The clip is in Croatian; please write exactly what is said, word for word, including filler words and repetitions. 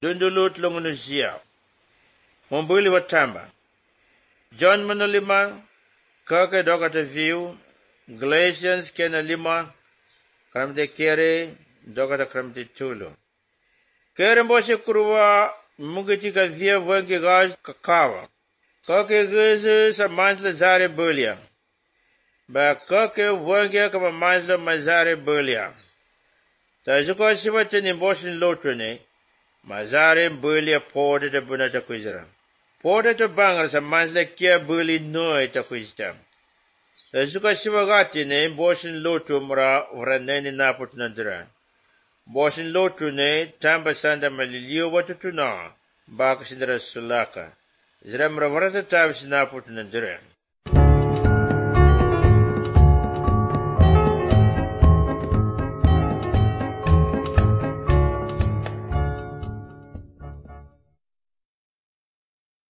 dundulut lungunusia. Mumbuli watamba. John manolima, kake dokata view, Galatians kena lima, kramte kere, dokata kramte tulu. Kere mboshe kuruwa, mungitika via wengi gaj kakawa. Kake geze sa mansla zare bulia. Ba kake wengi kama mansla mazare bulia. Tazuko sibatini mboshin lotrene, mazare bulia porde de bunata kwizera. Porde to bangal sa mansla kia buli noy ta kwizta. Tazuko sibagatine mboshin lotru mra vraneni naput nadra. Mboshin lotru ne tamba sanda malilio watutuna, baka sindra sulaka. Zra mra vrata tabi sinaput nadra.